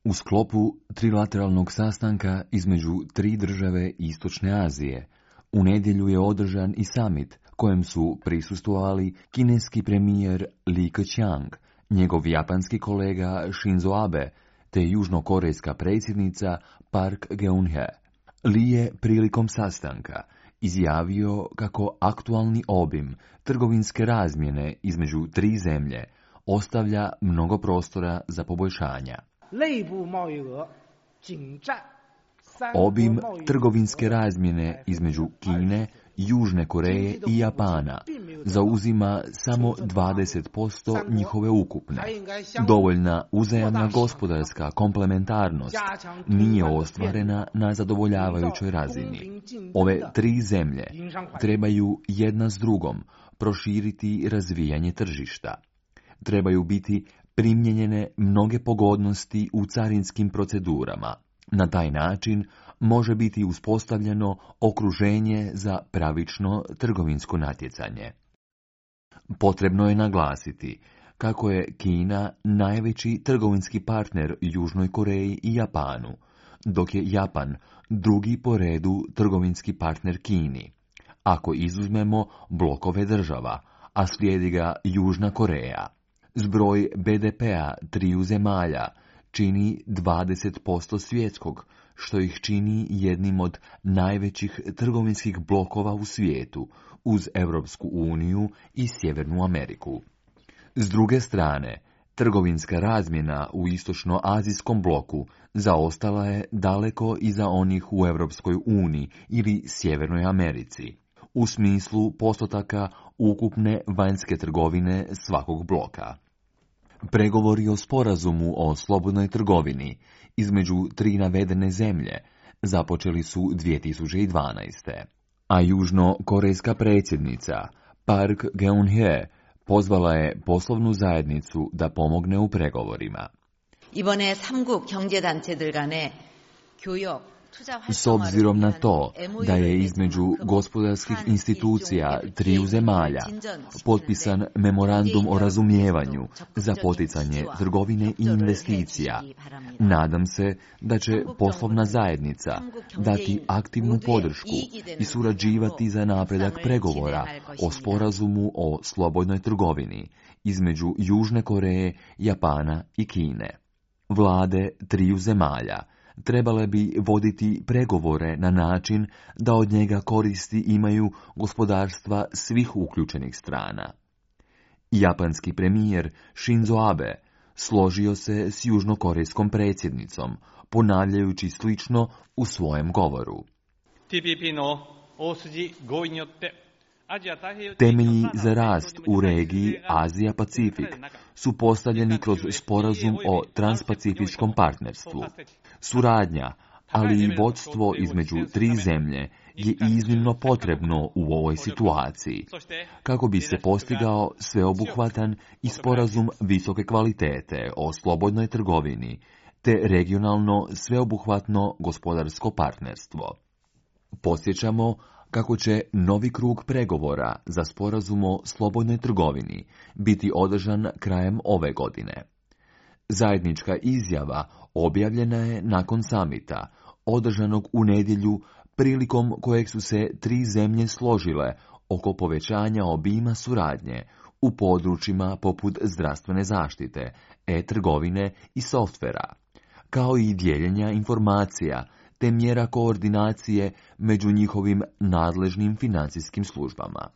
U sklopu trilateralnog sastanka između tri države Istočne Azije, u nedjelju je održan i summit kojem su prisustvovali kineski premijer Li Keqiang, njegov japanski kolega Shinzo Abe, te južnokorejska predsjednica Park Geun-hye. Li je prilikom sastanka izjavio kako aktualni obim trgovinske razmjene između tri zemlje ostavlja mnogo prostora za poboljšanja. Obim trgovinske razmjene između Kine, Južne Koreje i Japana zauzima samo 20% njihove ukupne. Dovoljna uzajamna gospodarska komplementarnost nije ostvarena na zadovoljavajućoj razini. Ove tri zemlje trebaju jedna s drugom proširiti razvijanje tržišta. Trebaju biti primijenjene mnoge pogodnosti u carinskim procedurama. Na taj način može biti uspostavljeno okruženje za pravično trgovinsko natjecanje. Potrebno je naglasiti kako je Kina najveći trgovinski partner Južnoj Koreji i Japanu, dok je Japan drugi po redu trgovinski partner Kini, ako izuzmemo blokove država, a slijedi ga Južna Koreja. Zbroj BDP-a triju zemalja čini 20% svjetskog, što ih čini jednim od najvećih trgovinskih blokova u svijetu, uz Europsku uniju i Sjevernu Ameriku. S druge strane, trgovinska razmjena u istočnoazijskom bloku zaostala je daleko iza onih u Europskoj uniji ili Sjevernoj Americi, u smislu postotaka ukupne vanjske trgovine svakog bloka. Pregovori o sporazumu o slobodnoj trgovini između tri navedene zemlje započeli su 2012. A južnokorejska predsjednica Park Geun-hye pozvala je poslovnu zajednicu da pomogne u pregovorima. 이번에 3국 경제단체들 간의 교역 S obzirom na to da je između gospodarskih institucija triju zemalja potpisan memorandum o razumijevanju za poticanje trgovine i investicija, nadam se da će poslovna zajednica dati aktivnu podršku i surađivati za napredak pregovora o sporazumu o slobodnoj trgovini između Južne Koreje, Japana i Kine. Vlade triju zemalja trebale bi voditi pregovore na način da od njega koristi imaju gospodarstva svih uključenih strana. Japanski premijer Shinzo Abe složio se s južnokorejskom predsjednicom, ponavljajući slično u svojem govoru. Temelji za rast u regiji Azija-Pacifik su postavljeni kroz sporazum o transpacifičkom partnerstvu. Suradnja, ali i vodstvo između tri zemlje je iznimno potrebno u ovoj situaciji, kako bi se postigao sveobuhvatan i sporazum visoke kvalitete o slobodnoj trgovini, te regionalno sveobuhvatno gospodarsko partnerstvo. Podsjećamo kako će novi krug pregovora za sporazum o slobodnoj trgovini biti održan krajem ove godine. Zajednička izjava objavljena je nakon samita, održanog u nedjelju, prilikom kojeg su se tri zemlje složile oko povećanja obima suradnje u područjima poput zdravstvene zaštite, e-trgovine i softvera, kao i dijeljenja informacija te mjera koordinacije među njihovim nadležnim financijskim službama.